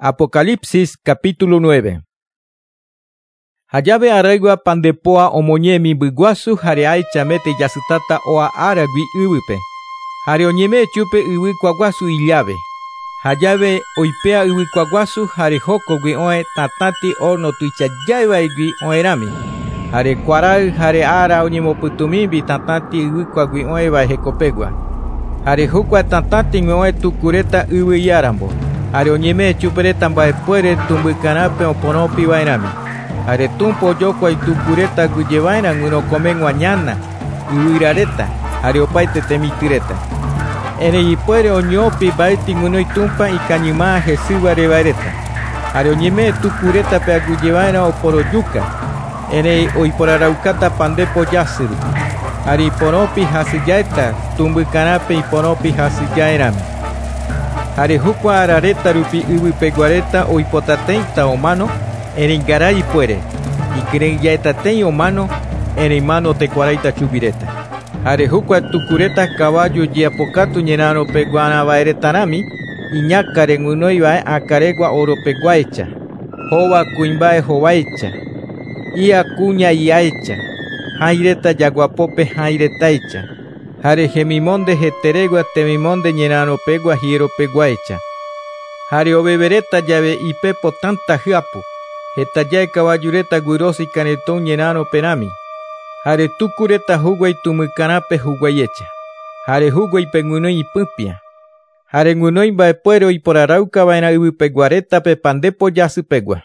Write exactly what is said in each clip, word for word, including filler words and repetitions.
Apocalipsis capítulo nueve. Jave araigua pandepoa omoñe mimbyguasu jare aichamete jasytata oa áragui yvýpe. Jare oñeme chupe yvykuaguasu illave. Jave oipea yvykuaguasu jare jokogui oe tatati horno tuichajáivaigui oerami. Jare kuaray jare ára oñemopytũmimbi tatati yvykuagui oẽva hekopegua. Jare jukua tatatĩgui oe tukureta yvyiárambo. Jare oñeme chupereta mba'epuere tumbykarãpe oporõpiva'erãmi. Jare tumpa ojokuái tukureta guyjeva'erã guyrokomeg̃ua ñana, yvyrareta, jare opaite temitỹreta. Erei ipuere oñopi mba'éti g̃uinói tumpa ikañyma hesývareva'ereta. Jare oñeme tukuretape aguyjeva'erã oporojuka, erei oiporaraukáta pandepo jasy rupi. Jare iporõpi hasyjaéta tumbykarãpe iporõpi hasyjaerãme. Jare jukua arareta rupi yvypeguareta oipotateĩta omano, erei ngarai ipuere, ikyre'ỹjaetateĩ omano, erei mano tekuaraita chuguireta. Jare jukua tukureta kavaju jeapokatu ñerãropeguarãva'eretarãmi, iñakãre g̃uinoiva'e akãregua oropeguáicha, hova kuimba'e hováicha, ia kuña iáicha, hãireta jaguapópe hãiretáicha. Jare hemimonde heteregua temimonde ñerãropegua hieropeguáicha. Jare ovevereta jave ipepo tanta hyapu, hetajae kavajureta guyrosi karetõ ñerãroperãmi. Jare tukureta huguái tumykarãpe huguaiecha. Jare huguáipe g̃uinói ipỹpia. Jare g̃uinói mba'epuere oiporaraukava'erã yvypeguaretape pandepo jasypegua.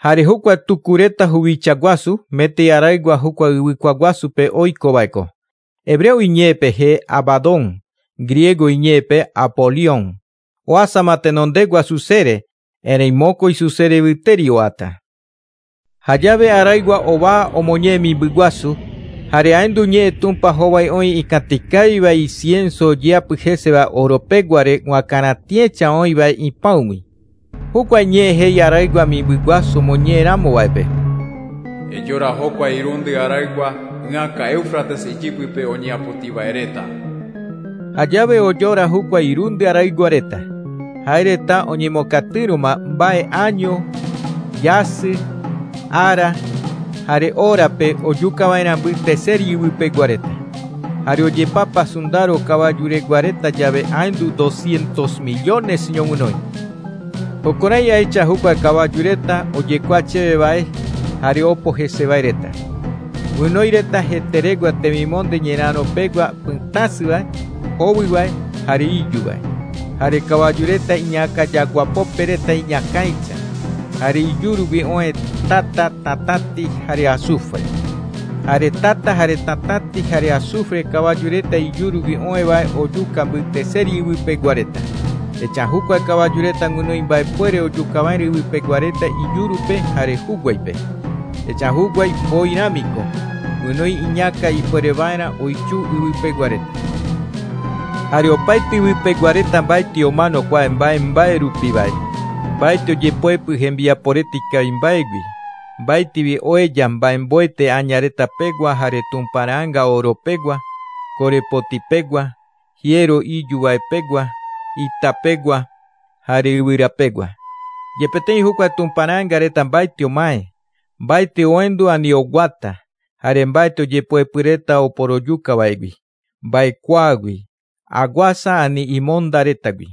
Jare jukua tukureta huvichaguasu mete araygua jukua yvykuaguasupe oikova'ekue. Hebreo iñe'ẽpe je Abadón, griego iñe'ẽpe Apolión. Oasama tenondegua susere, erei mokõi susere yvyteri oata. Jave araygua ova omoñe mimbyguasu, jare ahendu ñe'ẽ tumpa hovái oĩ ikãtikáiva incienso ojeapy heseva oropeguare g̃uakarãtiẽcha oĩva ipãugui. Jukua ñe'ẽ he'i araygua mimbyguasu omoñe'ẽramova'epe. Ejora jokua irundy araygua ỹaka Éufrates ijypype oñeapotiva'ereta. Jave ojora jukua irundy arayguareta. Ha'ereta oñemokatýrõma mba'e año, jasy, ára, jare horape ojukava'erã mbyteseri yvypeguareta. Jare ojepapa sundaro kavajureguareta jave ahendu doscientos millones ñog̃uinói. Jokorái ahecha jukua kavajureta ojekuaa chéveva'e jare opo heseva'ereta. G̃uinóireta heteregua temimonde ñerãropegua pytãsyva, hovyva, jare ijúva. Jare kavajureta iñakã jaguapópereta iñakãicha. Jare ijurugui oe tata, tatati, jare azufre. Jare tata, jare tatati, jare azufre kavajureta ijurugui oẽva ojuka mbyteseri yvypeguareta. Echa jukua kavajureta g̃uinói mba'epuere ojukava'erã yvypeguareta ijurupe jare huguáipe. Echa huguái mboirãmiko, g̃uinói iñakã ipuereva'erã oichu yvypeguareta. Jare opaite yvypeguareta mba'éti omano kua mba'e mba'e rupivae. Mba'éti ojepoepy hembiaporeta ikavimba'égui. Mba'étivi oheja mba'emboete añaretapegua jare tumparãnga oropegua, korepotipegua, hierro ijuva'epegua, itapegua, jare yvyrapegua. Jepeteĩ jukua tumparãngareta mba'éti omae, mba'éti ohendu ani oguata, jare mba'éti ojepoepyreta oporojukava'egui, mba'ekuaágui, aguasa ani imondaretagui.